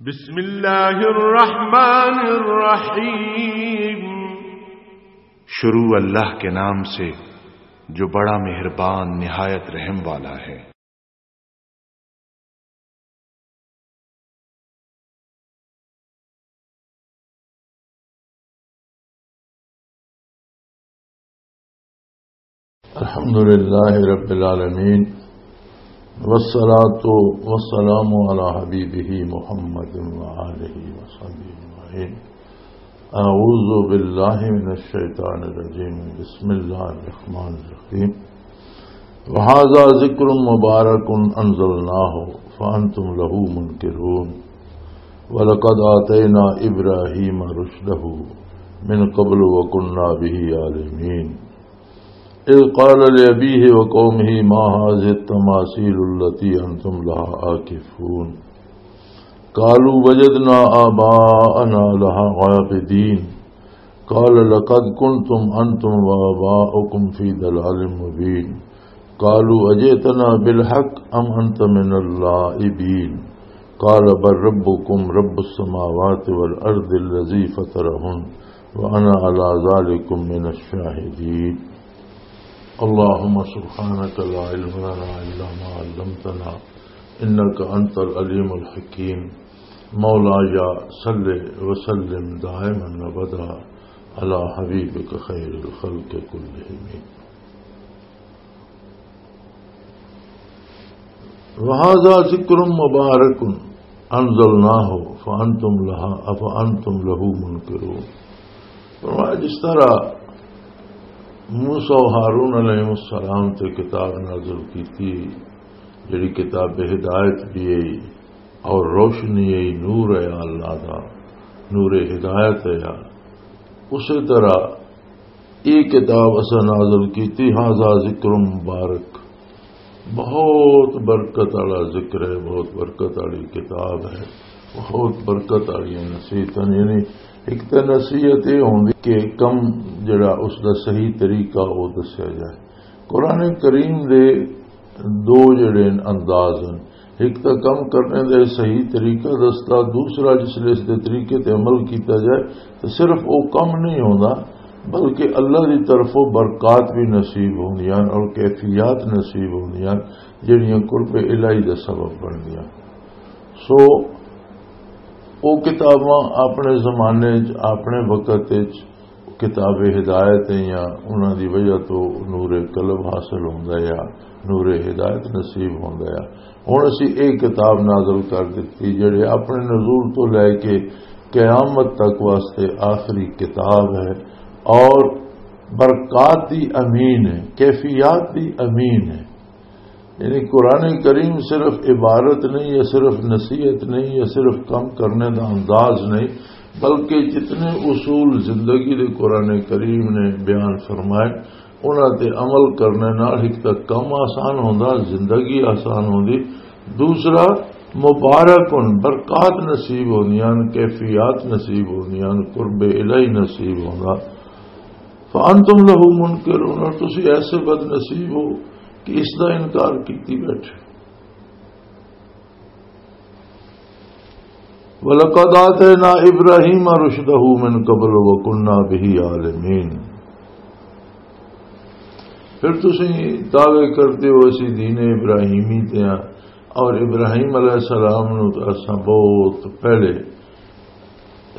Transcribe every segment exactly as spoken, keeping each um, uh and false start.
بسم اللہ الرحمن الرحیم۔ شروع اللہ کے نام سے جو بڑا مہربان نہایت رحم والا ہے۔ الحمد لله رب العالمين، والصلاة والسلام على حبيبه محمد وآله وصحبه أجمعين. أعوذ بالله من الشيطان الرجيم. بسم الله الرحمن الرحيم. وهذا ذكر مبارك أنزلناه فأنتم له منكرون. ولقد آتينا إبراهيم رشده من قبل وكنا به عالمين. إذ قال لأبيه وقومه ما هذه التماثيل التي أنتم لها عاكفون. قالوا وجدنا آباءنا لها عابدين. قال لقد كنتم أنتم وآباؤكم في ضلال مبين. قالوا أجئتنا بالحق أم أنت من اللاعبين؟ قال بل ربكم رب السماوات والأرض الذي فطرهن وأنا على ذلكم من الشاهدين. اللهم سبحانك لا علم لنا إلا ما علمتنا إنك أنت العليم الحكيم. مولاي صل وسلم دائما أبدا على حبيبك خير الخلق كلهم. وهذا ذكر مبارك أنزلناه فأنتم لها، فأنتم له منكرون. فرمایا، جس طرح موسیٰ و ہارون علیہ السلام تے کتاب نازل کیتی، جڑی کتاب ہدایت بھی ہے اور روشنی ہے، نور ہے اللہ دا، نور ہدایت ہے۔ اسی طرح یہ کتاب اساں نازل کیتی، ھذا ذکر مبارک، بہت برکت والا ذکر ہے، بہت برکت والی کتاب ہے، بہت برکت والی نصیحت ہے۔ یعنی ایک تے نصیحت یہ ہوندی کہ کم جڑا اس دا صحیح طریقہ وہ دسیا جائے۔ قرآن کریم دے دو جڑے انداز ہیں، ایک تاں کم کرنے دا صحیح طریقہ دسدا، دوسرا جس لے اس دے طریقے تے عمل کیتا جائے تو صرف وہ کم نہیں ہوندا، بلکہ اللہ دی طرفوں برکات بھی نصیب ہوندیاں اور کیفیات نصیب ہوندیاں، جڑیاں قرب الہی دا سبب بندیاں۔ سو، وہ کتاباں اپنے زمانے چ، اپنے وقت چ کتاب ہدایت ہیں یا انہاں دی وجہ تو نور قلب حاصل ہوندا ہے یا نور ہدایت نصیب ہوندا ہے۔ ہن اسی ایک کتاب نازل کر دتی، جڑے اپنے نزول تو لے کے قیامت تک واسطے آخری کتاب ہے اور برکات دی امین ہے، کیفیات دی امین ہے۔ یعنی قرآن کریم صرف عبارت نہیں یا صرف نصیحت نہیں یا صرف کم کرنے دا انداز نہیں، بلکہ جتنے اصول زندگی دے قرآن کریم نے بیان فرمائے، انہاں تے عمل کرنے نال ایک تاں کم آسان ہوندا، زندگی آسان ہوندی، دوسرا مبارک ہن، برکات نصیب ہوندیاں، کیفیات نصیب ہوندیاں، قرب الہی نصیب ہوندا۔ فانتم لہ منکرون، اور تسی ایسے بد نصیب ہو کہ اس دا انکار کیتی بیٹھے۔ وَلَقَدْ آتَيْنَا إِبْرَاهِيمَ رُشْدَهُ مِنْ قَبْلُ وَكُنَّا بِهِ عَالِمِينَ۔ پھر تسی دعوے کرتے ہو اسی دین ابراہیمی تے ہاں، اور ابراہیم علیہ السلام نو تو اساں بہت پہلے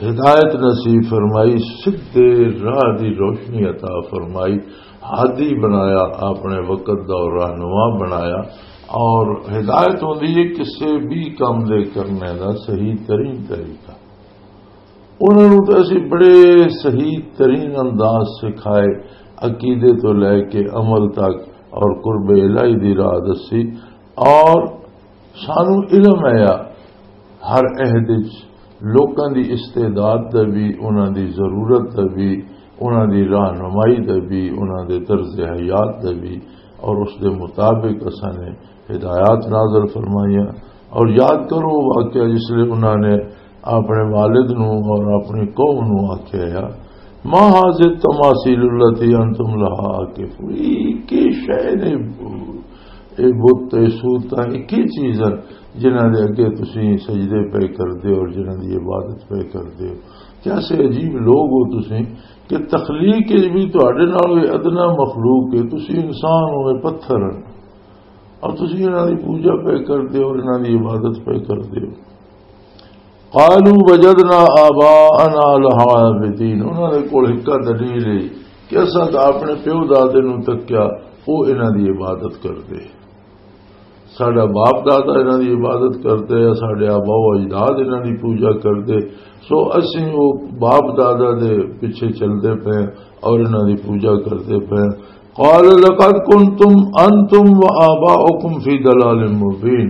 ہدایت نصیب فرمائی، سدھے راہ دی روشنی عطا فرمائی، ہادی بنایا، اپنے وقت دا رہنما بنایا۔ اور ہدایت ہوندی ہے کسے بھی کام دے کرنے دا صحیح ترین طریقہ۔ انہاں نوں تے اسی بڑے صحیح ترین انداز سکھائے، عقیدے تو لے کے عمل تک، اور قرب الہی دی راہ دسی۔ اور سانو علم ہے ہر عہد وچ لوکاں دی استعداد دا بھی، انہاں دی ضرورت دا بھی، انہاں دی راہنمائی دا بھی، انہاں دے طرز حیات دا بھی، اور اس دے مطابق اساں نے ہدایات نازل فرمائیاں۔ اور یاد کرو وہ واقعہ جس لئے انہاں نے اپنے والد نو اور اپنی قوم نو آکھیا ہے، "ما هذه التماثيل التي أنتم لها عاكفون"، یہ کی شے نے، یہ بت، یہ صورتاں ایک ہی چیز ہیں جنہاں دے اگے تسی سجدے پہ کردے ہو اور جنہاں دی عبادت پہ کردے ہو۔ کیسے عجیب لوگ ہو تسی کہ تخلیق وچ بھی تہاڈے نال کوئی ادنا مخلوق ہے، تسی انسان ہو، یہ پتھر ہیں، اور تسی انہاں دی پوجا پہ کردے ہو اور انہاں دی عبادت پہ کردے ہو۔ قالوا وجدنا آباءنا لها عابدين، انہاں دے کول ایک دلیل ہے کہ اساں تاں اپنے پیو دادے نوں تکیا، او انہاں دی عبادت کردے، ساڈا باپ دادا انہاں دی عبادت کردے، ساڈے آبا و اجداد انہاں دی پوجا کردے، سو اسیں او باپ دادا دے پیچھے چلدے پئے اور انہاں دی پوجا کردے پئے۔ قال لقد كنتم انتم وآباؤكم في ضلال مبين۔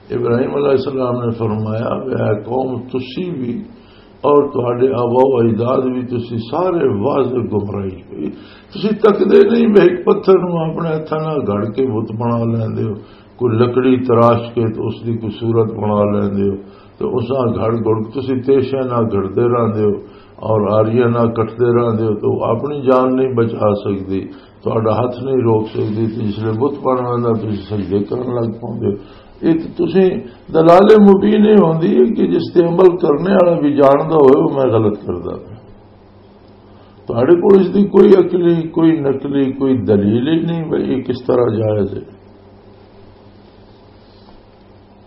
ابراہیم علیہ السلام نے فرمایا، "اے قوم، تسی بھی اور تہاڈے آبا و اجداد بھی، تسی سارے واضح گمراہی پہ۔ تسی تکدے نہیں، میں ایک پتھر نوں اپنے ہتھاں نال گھڑ کے بت بنا لیندے ہو، کوئی لکڑی تراش کے تو اس دی کوئی صورت بنا لیندے ہو، تو اس نال گھڑ گھڑ کے تسی تیشے نال گھڑدے رہندے ہو اور آریاں نال کٹدے رہندے ہو، تو اپنی جان نہیں بچا سکدی۔" تہاڈا ہتھ نہیں روک سکدی، تے جس لے بت بن ویندا، تسی سجدے کرن لگ پوندے ہو۔ یہ تے تسی دلال مبین یہ ہوندی ہے کہ جس تے عمل کرنے والا بھی جاندا ہوئے، وہ میں غلط کردا پیا۔ تہاڈے کول اس دی کوئی عقلی، کوئی نقلی، کوئی دلیل ہی نہیں بھئی یہ کس طرح جائز ہے۔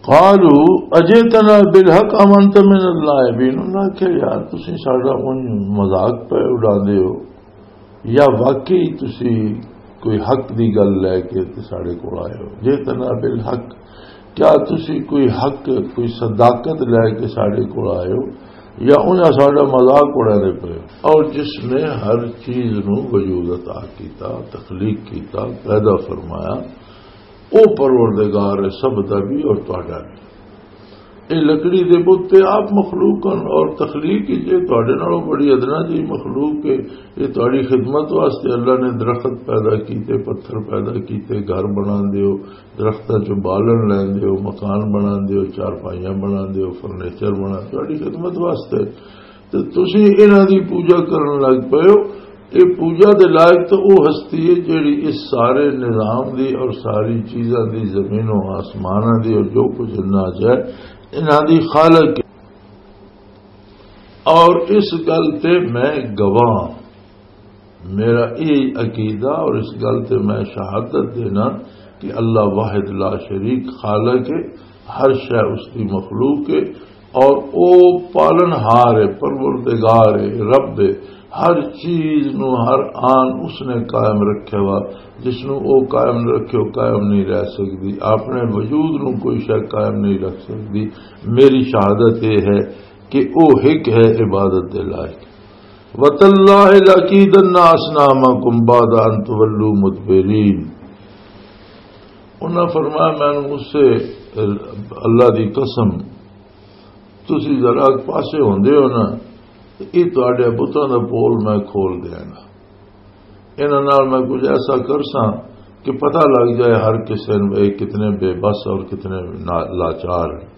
قالوا اجئتنا بالحق ام انت من اللاعبین، انہاں آکھیا، "یار، تسی ساڈا اونج مذاق پہ اڑاندے ہو، یا واقعی تسی کوئی حق دی گل لے کے تے ساڈے کول آئے ہو؟ جئتنا بالحق، کیا تسی کوئی حق، کوئی صداقت لے کے ساڈے کول آئے ہو، یا انہاں ساڈا مذاق اڑاندے پئے ہو؟" اور جس نے ہر چیز نو وجود عطا کیتا، تخلیق کیتا، پیدا فرمایا، او پروردگار ہے سب دا بھی اور تہاڈا بھی۔ اے لکڑی دے بت تے آپ مخلوق ہن اور تخلیق ہی جے تہاڈے نالوں بڑی ادنا جی مخلوق ہے۔ یہ تہاڈی خدمت واسطے اللہ نے درخت پیدا کیتے، پتھر پیدا کیتے، گھر بنا دیو، درختاں چوں بالن لین دیو، مکان بنا دیو، چارپائیاں بنا دیو، فرنیچر بنا، تہاڈی خدمت واسطے۔ تے تسی انہاں دی پوجا کرن لگ پئے ہو۔ یہ پوجا دے لائق تو وہ ہستی ہے جیڑی اس سارے نظام دی اور ساری چیزاں دی، زمین و آسماناں دی اور جو کچھ انہاں چ ہے، انہاں دی خالق ہے۔ اور اس گل تے میں گواہ ہاں۔ میرا یہ عقیدہ اور اس گل تے میں شہادت دینا کہ اللہ واحد لا شریک خالق ہے، ہر شے اس دی مخلوق ہے، اور او پالن ہار ہے، پروردگار ہے، رب ہے۔ ہر چیز نو، ہر آن اس نے قائم رکھے وا، جس نو او قائم نہ رکھے، او قائم نہیں رہ سکدی۔ اپنے وجود نو کوئی شے قائم نہیں رکھ سکدی۔ میری شہادت یہ ہے کہ او ایک ہے عبادت دے لائق۔ وَتَاللَّهِ لَأَكِيدَنَّ أَصْنَامَكُمْ بَعْدَ أَن تُوَلُّوا مُدْبِرِينَ۔ انہاں فرمایا، "میں اس سے اللہ دی قسم، تسی ذرا پاسے ہوندے ہو نا، تے یہ تہاڈے بتاں دا پول میں کھول دیاں گا۔ انہاں نال میں کچھ ایسا کرساں کہ پتہ لگ جائے ہر کسے نوں یہ کتنے بے بس اور کتنے نا-، لاچار ہیں۔"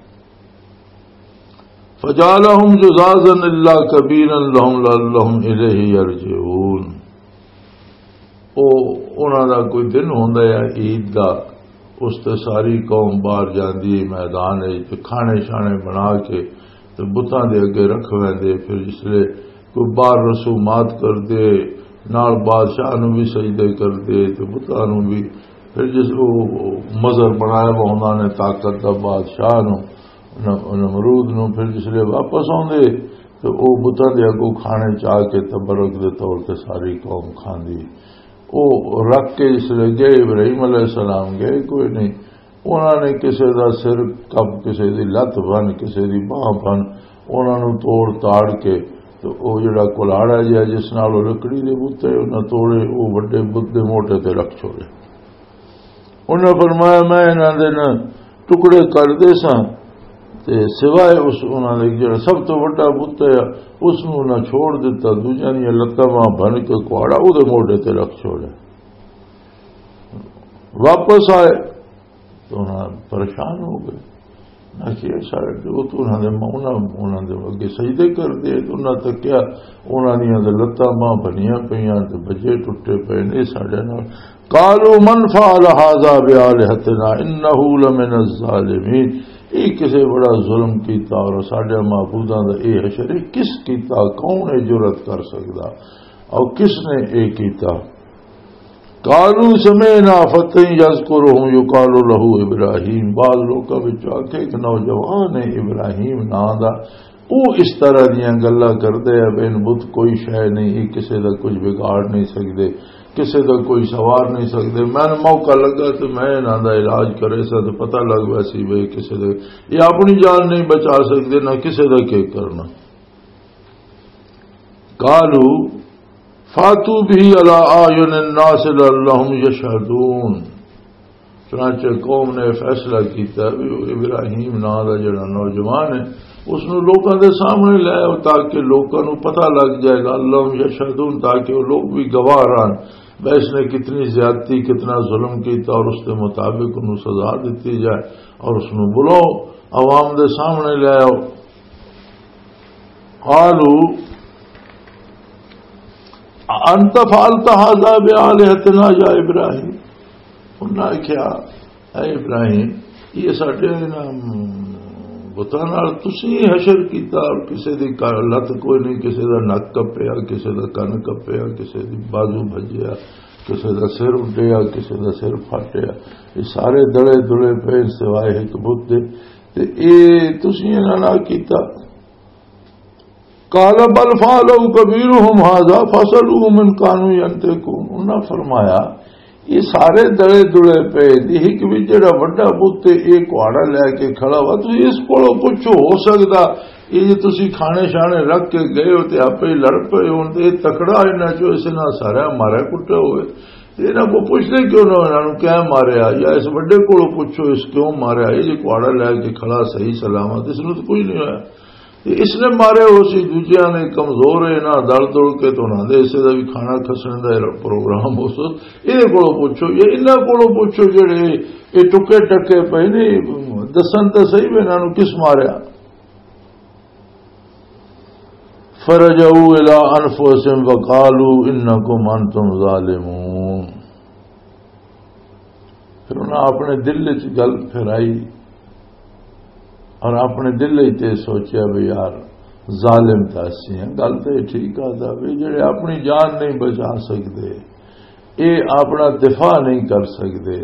فَجَعَلَهُمْ جُذَاذًا إِلَّا كَبِيرًا لَهُمْ لَعَلَّهُمْ إِلَيْهِ يَرْجِعُونَ۔ او، انہاں دا کوئی دن ہوندا ہے عید دا، اس تے ساری قوم باہر جاندی ہے میدان وچ تے کھانے شانے بنا کے تے بتاں دے اگے رکھ ویندے۔ پھر جس لے کوئی باہر رسومات کردے، نال بادشاہ نوں بھی سجدے کردے تے بتاں نوں بھی۔ پھر جس او مظہر بنایا وا انہاں نے طاقت دا بادشاہ نوں، نم-، نمرود نوں، پھر جس لے واپس آوندے تے او بتاں دے اگوں کھانے چا کے تبرک دے طور تے ساری قوم کھاندی۔ او رکھ کے جس لے گئے، ابراہیم علیہ السلام گئے کوئی نہیں، انہاں نے کسے دا سر کپ، کسے دی لت بن، کسے دی باہ بن، انہاں نوں توڑ تاڑ کے تے او جڑا کلاڑا جہا جس نال او لکڑی دے بوتے انہاں توڑے، او وڈے بت دے موٹے تے رکھ چھوڑے۔ انہاں فرمایا، "میں انہاں دے نہ ٹکڑے کر دے ساں تے سوائے اس انہاں دے جڑا سب تو وڈا بت ہے، اس نوں نہ چھوڑ دتا، دوجیاں دیاں لتاں باہاں بھن کے کہاڑا او دے موڈے تے رکھ چھوڑیا۔" واپس آئے تو انہاں پریشان ہو گئے۔ اچھا، سارے تے وہ تو انہاں دے، انہاں، انہاں دے اگے سجدے کردے، تے انہاں تکیا، انہاں دیاں تے لتاں باہاں بنیاں پئیاں تے بجے ٹٹے پئے نے ساڈے نال۔ قالوا من فعل هذا بآلهتنا إنه لمن الظالمين۔ یہ کسے بڑا ظلم کیتا اور ساڈے معبوداں دا یہ حشر، یہ کس کیتا، کون یہ جرأت کر سکدا اور کس نے یہ کیتا؟ قالوا سمعنا فتى يذكرهم يقال له إبراهيم۔ بعض لوکاں وچ آکھے ایک نوجوان ہے ابراہیم ناں دا، او اس طرح دیاں گلاں کردے، اب ان بت کوئی شے نہیں، یہ کسے دا کچھ بگاڑ نہیں سکدے، کسے دا کوئی سوار نہیں سکدے۔ میں موقع لگا تے میں انہاں دا علاج کرے سا تے پتہ لگ ویسی بھئی کسے دا، یہ اپنی جان نہیں بچا سکدے، نہ کسے دا کی کرنا۔ قالوا فاتوا به على أعين الناس لعلهم يشهدون۔ چنانچہ قوم نے فیصلہ کیتا بھی وہ ابراہیم ناں دا جڑا نوجوان ہے، اس نو لوکاں دے سامنے لے آؤ تاکہ لوکاں نو پتہ لگ جائے، لعلهم يشهدون، تاکہ وہ لوگ بھی گواہ رہن، بھئی اس نے کتنی زیادتی، کتنا ظلم کیتا، اور اس کے مطابق انہوں سزا دیتی جائے، اور اس نو بلاؤ، عوام دے سامنے لے آؤ۔ قالوا أأنت فعلت هذا بآلهتنا يا إبراهيم؟ انہاں آکھیا، اے ابراہیم، یہ ساڈے انہاں بتاں نال تسی حشر کیتا، اور کسے دی ک-، لت کوئی نہیں، کسے دا نک کپیا، کسے دا کن کپیا، کسے دی بازو بھجیا، کسے دا سر اڈیا، کسے دا سر پھٹیا۔ یہ سارے دلے دلے پے سوائے ایک بت دے۔ تے اے تسی انہاں نال کیتا؟ قال بل فعله كبيرهم هذا فاسألوهم إن كانوا ينطقون۔ انہاں فرمایا، یہ سارے دلے دلے پے دی ایک بھی جڑا وڈا بت تے اے کہاڑا لے کے کھڑا وا، تسی اس کولوں پوچھو، ہو سکدا یہ جے تسی کھانے شانے رکھ کے گئے ہو تے آپے ہی لڑ پئے ہون، تے یہ تکڑا انہاں چوں، اس نال سارا مارا کٹا ہوئے۔ تے انہاں کو پوچھدے کیوں نہ، انہاں نوں کیا ماریا؟ یا اس وڈے کولوں پوچھو، اس کیوں ماریا؟ یہ جے کہاڑا لے کے کھڑا صحیح سلامت، اس نوں تو کچھ نہیں ہویا۔ تے اس نے مارے ہو سی، دوجیاں نے کمزور ہے، انہاں دل دل کے تو انہاں دے حصے دا بھی کھانا کھسنے دا پروگرام ہو سو۔ یہ کولوں پوچھو، یہ انہاں کولوں پوچھو جڑے یہ ٹکے ٹکے پے نے، دسن تے صحیح بھی انہاں نوں کس ماریا۔ فرجعوا إلى أنفسهم وقالوا إنكم أنتم ظالمون۔ پھر انہاں اپنے دل وچ گل پھرائی اور اپنے دل وچ تے سوچیا بھی یار، ظالم تاں اسی ہیں، گل تے ٹھیک آ دا بھی جڑے اپنی جان نہیں بچا سکدے، اے اپنا دفاع نہیں کر سکدے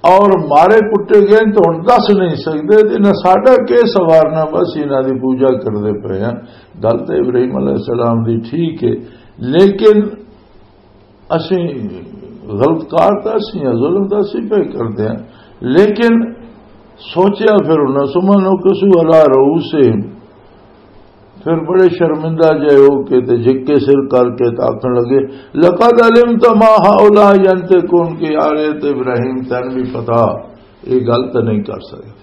اور مارے کٹے گئے تو ہن دس نہیں سکدے، تے نہ ساڈا کے سوارنا، بس انہاں دی پوجا کردے پئے ہیں۔ گل تے ابراہیم علیہ السلام دی ٹھیک ہے، لیکن اسی غلط کار تاں اسی ہیں، ظلم تاں اسی پہ کردے ہیں، لیکن سوچیا پھر انہاں، ثم نكسوا على رؤوسهم، پھر بڑے شرمندہ جے ہو کے تے جھک کے سر کر کے تے آکھن لگے، لقد علمت ما هؤلاء ينطقون، کہ یار اے تے ابراہیم تین بھی پتا، یہ گل تے نہیں کر سکدے۔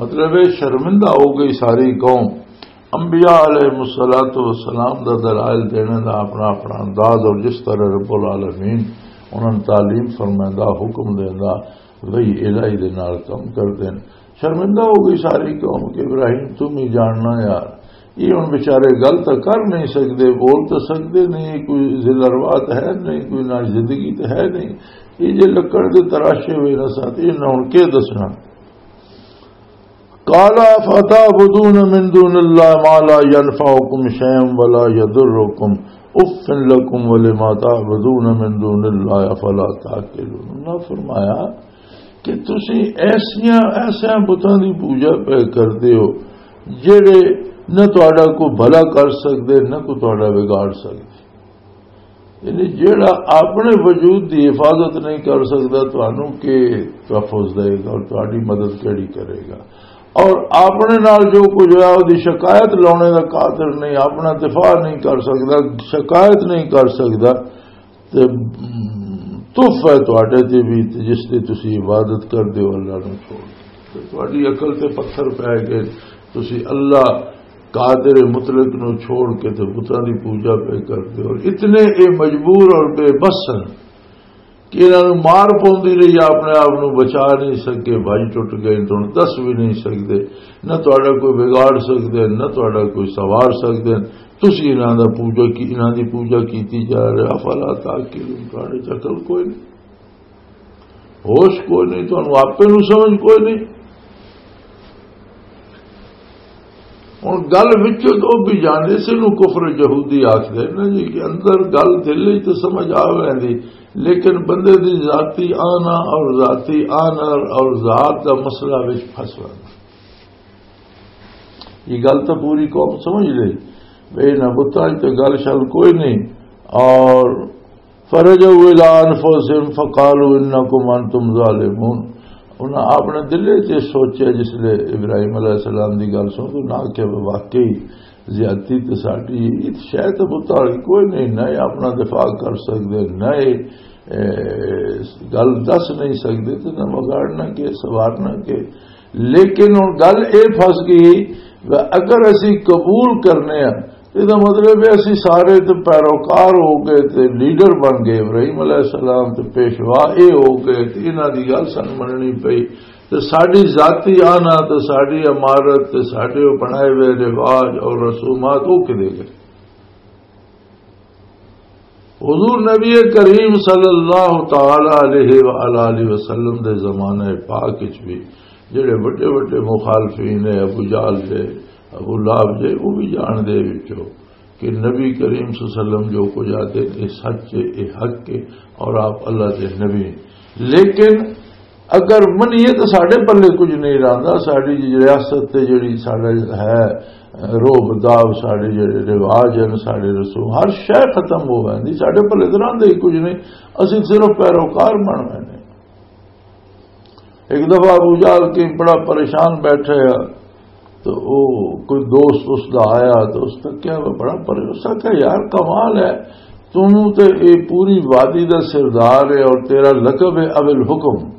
مطلب ہے شرمندہ ہو گئی ساری قوم۔ انبیاء علیہ الصلوۃ والسلام دا دلائل دینے دا اپنا اپنا انداز، اور جس طرح رب العالمین انہاں نوں تعلیم فرمائندا، حکم دیندا، وحی الہی دے نال کم کردے نے۔ شرمندہ ہو گئی ساری قوم کہ ابراہیم تم ہی جاننا یار، یہ ہن بیچارے گل تاں کر نہیں سکدے، بول تاں سکدے نہیں، کوئی ذل ارواح تاں ہے نہیں، کوئی ناشزندگی تاں ہے نہیں۔ یہ جے لکڑ دے تراشے ہوئے نہ ساتھ، یہ نہ ہن کے دسنا۔ قال أفتعبدون من دون الله ما لا ينفعكم شيئا ولا يضركم أف لكم ولما تعبدون من دون الله أفلا تعقلون۔ اللہ فرمایا کہ تسی ایسیاں، ایسیاں بتاں دی پوجا پہ کردے ہو جڑے نہ تہاڈا کوئی بھلا کر سکدے، نہ کوئی تہاڈا بگاڑ سکدے۔ یعنی جیڑا اپنے وجود دی حفاظت نہیں کر سکدا، تانوں کے تحفظ دے گا اور تہاڈی مدد کیڑی کرے گا؟ اور اپنے نال جو کچھ ہویا، اودی شکایت لانے دا قادر نہیں، اپنا دفاع نہیں کر سکدا، شکایت نہیں کر سکدا، تے تحفہ ہے تہاڈے تے بھی، تے جس دی تسی عبادت کردے ہو اللہ نوں چھوڑ کے۔ تے تہاڈی عقل تے پتھر پے گئے، تسی اللہ قادر مطلق نو چھوڑ کے تے بتاں دی پوجا پہ کردے ہو۔ اتنے اے مجبور اور بے بس ہیں کہ انہاں نوں مار پوندی رہی، اپنے آپ نوں بچا نہیں سکے، بھائی ٹوٹ گئے، تم دس بھی نہیں سکدے، نہ تہاڈا کوئی بگاڑ سکدے، نہ تہاڈا کوئی سوار سکدے۔ تسی انہاں دا پوجا کی، انہاں دی پوجا کیتی جا رہے، افلا تعقلون، تہاڈے چ عقل کوئی نہیں، ہوش کوئی نہیں، تہانوں آپے نوں سمجھ کوئی نہیں۔ ہن گل وچوں تو بھی جانے سے نوں کفر یہودی آکھدے نا جی، کہ اندر گل دل وچ تو سمجھ آ ویندی، لیکن بندے دی ذاتی آنا اور ذاتی آنر اور ذات دا مسئلہ وچ پھس ویندا۔ یہ گل تو پوری قوم سمجھ لے، بے نہ بتاں تے گل شل کوئی نہیں۔ اور فرجعوا الی انفسہم فقالوا انکم انتم ظالمون۔ انہاں اپنے دل وچ یہ سوچیا، جس لے ابراہیم علیہ السلام دی گل سن تو نہ کہ واقعی زیادتی تے ساڈی، یہ شاید بتاں والی کوئی نہیں، نہ یہ اپنا دفاع کر سکدے، نہ یہ، اے، گل دس نہیں سکدے، تے نہ وگاڑنا کہ سوارنا کہ۔ لیکن ہن گل اے پھس گئی، اگر اسی قبول کرنے ہاں، اس دا مطلب ہے اسی سارے تے پیروکار ہو گئے تے لیڈر بن گئے، ابراہیم علیہ السلام تے پیشوا اے ہو گئے تے انہاں دی گل سن مننی پئی۔ تے ساڈی ذاتی آنا تے ساڈی عمارت تے ساڈے او بنائے ہوئے رواج اور رسومات او کدے گئے؟ حضور نبی کریم صلی اللہ تعالی علیہ وآلہ وسلم دے زمانے پاک وچ بھی جڑے وڈے وڈے مخالفین ہیں، ابو جہل دے، ابو لہب دے، وہ بھی جان دے وچوں کہ نبی کریم صلی اللہ علیہ وسلم جو کچھ آتے، یہ سچ ہے، یہ حق ہے، اور آپ اللہ دے نبی ہیں۔ لیکن اگر منیے تو ساڈے پلے کچھ نہیں رہندا، ساڈی جی ریاست تے جڑی ساڈا ہے روب داب، ساڈے جڑے رواج ہیں، ساڈے رسوم، ہر شے ختم ہو ویندی، ساڈے پلے تو رہندا ہی کچھ نہیں، اسی صرف پیروکار بن ویندے۔ ایک دفعہ ابو جہل کے بڑا پریشان بیٹھے، تو او کوئی دوست اس دا آیا، تو اس نے کہا، "میں بڑا پریشان۔" اس نے کہا، "یار، کمال ہے، تم تے اے پوری وادی دا سردار ہے اور تیرا لقب ہے ابو الحکم۔"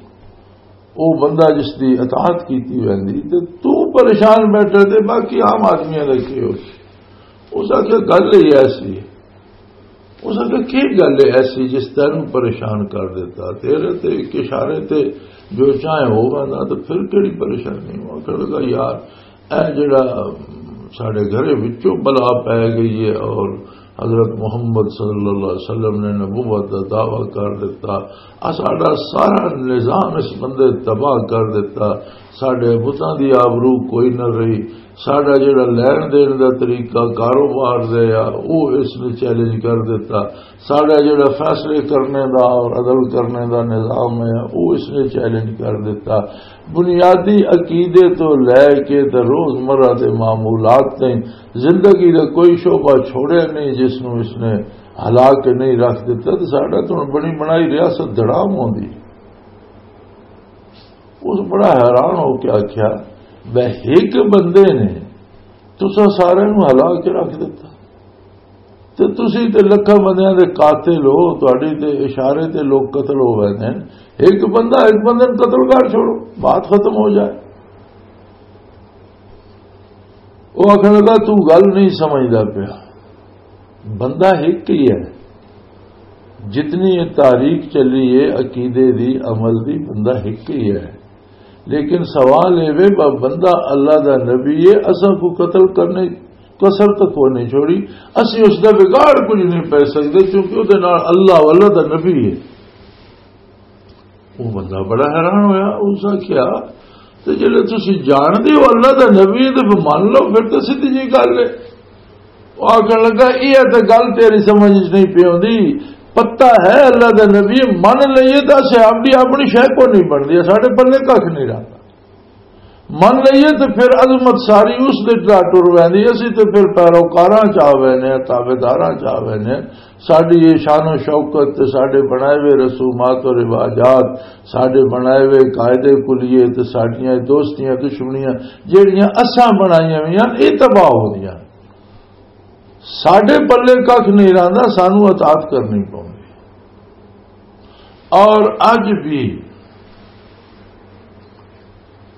او بندہ جس دی اطاعت کیتی ویندی، تے تو پریشان بیٹھا، تے باقی عام آدمیاں دا کی ہو؟ اس آکھیا، "گل ہی ایسی ہے۔" اس آکھیا، "کی گل ہے ایسی جس تینوں پریشان کر دیتا؟ تیرے تے ایک اشارے تے جو چاہے ہو ویندا، تو پھر کیڑی پریشانی؟" وہ آکھن لگا، "یار، اے جڑا ساڈے گھر وچوں بلا پے گئی ہے اور حضرت محمد صلی اللہ علیہ وسلم نے نبوت دا دعویٰ کر دیتا، آ ساڈا سارا نظام اس بندے تباہ کر دیتا، ساڈے بتاں دی آبرو کوئی نہ رہی، ساڈا جڑا لین دین دا طریقہ کاروبار دے آ، او اس نے چیلنج کر دیتا، ساڈا جڑا فیصلے کرنے دا اور عدل کرنے دا نظام ہے، او اس نے چیلنج کر دیتا۔" بنیادی عقیدے تو لے کے تے روزمرہ دے معمولات تائیں زندگی دا کوئی شعبہ چھوڑیا نہیں جس نوں اس نے ہلا کے نہیں رکھ دتا۔ تے ساڈا تو بنی بنائی ریاست دڑام ہوندی۔ اس بڑا حیران ہو کے آکھیا، "بے، ایک بندے نے تساں سارے نوں ہلا کے رکھ دتا۔" تے تسی تے لکھاں بندیاں دے قاتل ہو، تہاڈی تے اشارے تے لوگ قتل ہو ویندے نے۔ ایک بندہ، ایک بندے نوں قتل کر چھوڑو، بات ختم ہو جائے۔ وہ آکھن لگا، "تو گل نہیں سمجھدا پیا، بندہ ایک ہی ہے، جتنی یہ تاریخ چلی ہے عقیدے دی، عمل دی، بندہ ایک ہی ہے۔" لیکن سوال اے وے، ب-، بندہ اللہ دا نبی ہے، اساں کو قتل کرنے کسر تک وہ نہیں چھوڑی، اسی اس دا بگاڑ کچھ نہیں پے سکدے، کیونکہ او دے نال اللہ والا دا نبی ہے۔ وہ بندہ بڑا حیران ہویا، اس آکھیا، "تے جلے تسی جان دے ہو اللہ دا نبی ہے تے پھر من لو، پھر تے سیدھی جی گل ہے۔" وہ آکھن لگا، "یہ تے گل تیری سمجھ وچ نہیں پئی ہوندی، پتہ ہے اللہ دا نبی، من لئیے تے اسے اپنی، اپنی شے کو نہیں بندی، ساڈے پلے کھ نہیں رہندا۔" من لئیے تے پھر عظمت ساری اس دے ٹرا ٹر ویندی، اسی تے پھر پیروکاراں چ آ وینے، تابعداراں چ آ وینے۔ ساڈی یہ شان و شوکت تے ساڈے بنائے ہوئے رسومات و رواجات، ساڈے بنائے ہوئے قاعدے کلیے تے ساڈیاں دوستیاں دشمنیاں جیڑیاں اساں بنائیاں ہوئیاں، یہ تباہ ہوندیاں۔ ساڈے پلے کھ نہیں رہندا، سانو اطاعت کرنی پوندی۔ اور اج بھی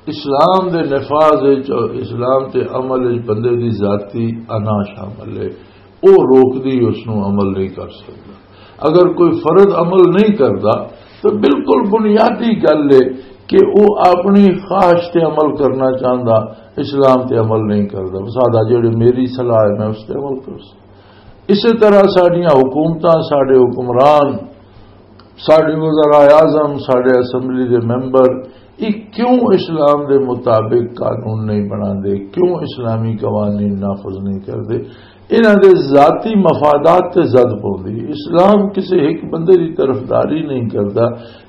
اسلام دے وچ اور اسلام تے عمل وچ بندے دی ذاتی انا شامل ہے، وہ روکدی اس نو عمل نہیں کر سکدا۔ اگر کوئی فرد عمل نہیں کردا تو بالکل بنیادی گل ہے کہ وہ اپنی خواہش تے عمل کرنا چاہندا، اسلام تے عمل نہیں کردا۔ سادہ جڑے میری صلاح ہے، میں اس تے عمل کر سکاں۔ اسی طرح ساڈیاں حکومتاں، ساڈے حکمران، ساڈے وزراء اعظم، ساڈے اسمبلی دے ممبر، یہ کیوں اسلام دے مطابق قانون نہیں بناندے؟ کیوں اسلامی قوانین نافذ نہیں کردے؟ انہاں دے ذاتی مفادات تے زد پوندی۔ اسلام کسے ایک بندے دی طرفداری نہیں کردا،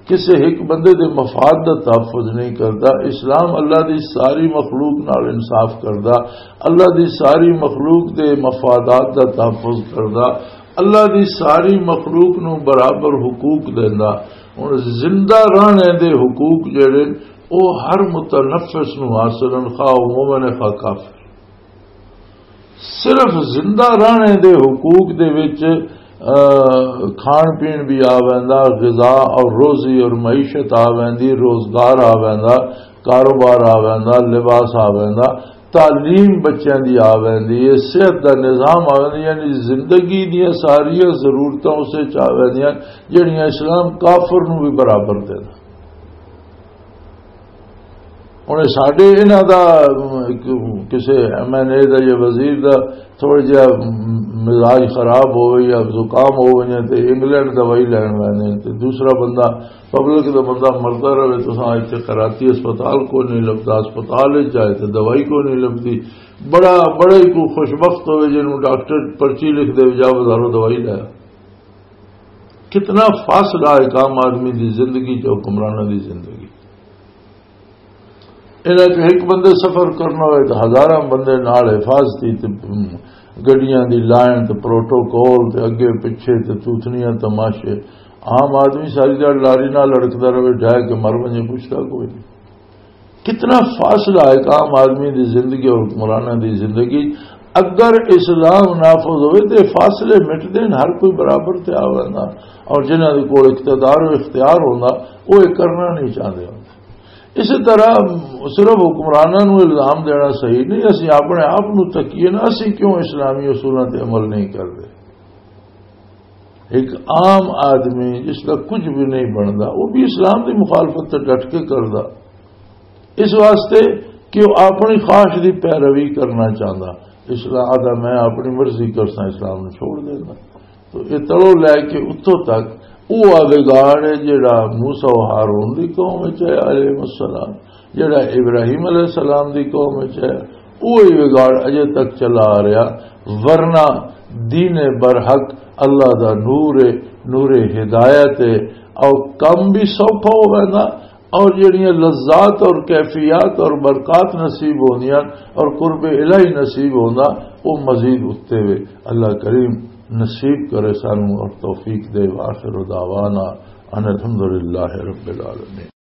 کسے ایک بندے دے مفاد دا تحفظ نہیں کردا۔ اسلام اللہ دی ساری مخلوق نال انصاف کردا، اللہ دی ساری مخلوق دے مفادات دا تحفظ کردا، اللہ دی ساری مخلوق نو برابر حقوق دیندا۔ ہن زندہ رہنے دے حقوق جڑے، او ہر متنفس نو حاصل ہن، خواہ او مومن ہے، خواہ کافر۔ صرف زندہ رہنے دے حقوق دے وچ، آ، کھان پین بھی آ ویندا، غذا اور روزی اور معیشت آ ویندی، روزگار آ ویندا، کاروبار آ ویندا، لباس آ ویندا، تعلیم بچیاں دی آ ویندی ہے، صحت دا نظام آ ویندا، یعنی زندگی دیاں ساریاں ضرورتاں اسے چ آ ویندیاں جڑیاں اسلام کافر نو بھی برابر دیندا۔ ہن ساڈے انہاں دا، ام، ایک کسے ایم این اے دا یا وزیر دا تھوڑا جہا مزاج خراب ہوئے یا زکام ہو وجے تے انگلینڈ دوائی لین ویندے نے، تے دوسرا بندہ، پبلک دا بندہ مردا رہے، تساں اتھے کراتی ہسپتال کو نہیں لبدا، ہسپتال وچ جائے تے دوائی کو نہیں لبدی۔ بڑا، بڑا ہی کوئی خوش بخت ہوئے جنوں ڈاکٹر پرچی لکھ دے، جا بازاروں دوائی لے آ۔ کتنا فاصلہ ہے ایک عام آدمی دی زندگی تے حکمراناں دی زندگی۔ انہاں چ ایک بندے سفر کرنا ہوئے تو ہزاراں بندے نال حفاظتی تے، ام، گڈیاں دی لائن تے پروٹوکول تے اگے پچھے تے توتنیاں تماشے۔ عام آدمی ساری دیہاڑ لاری نال لڑکدا رہے، ڈھہ کے مر ونجے، پوچھدا کوئی نہیں۔ کتنا فاصلہ ہے ایک عام آدمی دی زندگی اور حکمراناں دی زندگی۔ اگر اسلام نافذ ہوئے تے فاصلے مٹ دین، ہر کوئی برابر تے آ ویندا، اور جنہاں دے کول اقتدار و اختیار ہوندا، وہ یہ کرنا نہیں چاہتے ہوندے۔ اسی طرح صرف حکمراناں نوں الزام دینا صحیح نہیں، اسی اپنے آپ نوں تکیے نا، اسی کیوں اسلامی اصولاں تے عمل نہیں کرتے؟ ایک عام آدمی جس کا کچھ بھی نہیں بندا، وہ بھی اسلام دی مخالفت تے ڈٹ کے کردا، اس واسطے کہ وہ اپنی خواہش دی پیروی کرنا چاہندا۔ اسلام آدھا، میں اپنی مرضی کرساں، اسلام نوں چھوڑ دینا۔ تو یہ تلو لے کے اتوں تک وہ وگاڑ ہے جڑا موسیٰ و ہارون دی قوم وچ ہے علیہ السلام، جڑا ابراہیم علیہ السلام دی قوم وچ ہے، وہی وگاڑ اجے تک چلا آ رہا۔ ورنہ دین برحق اللہ دا نور ہے، نور ہدایت ہے، او کم بھی سوکھا ہو ویندا، اور جڑیاں لذات اور کیفیات اور برکات نصیب ہوندیاں اور قرب الہی نصیب ہوندا، وہ مزید اتے وے۔ اللہ کریم نصیب کرے سانو اور توفیق دے۔ وآخر دعوانا ان الحمدللہ رب العالمین۔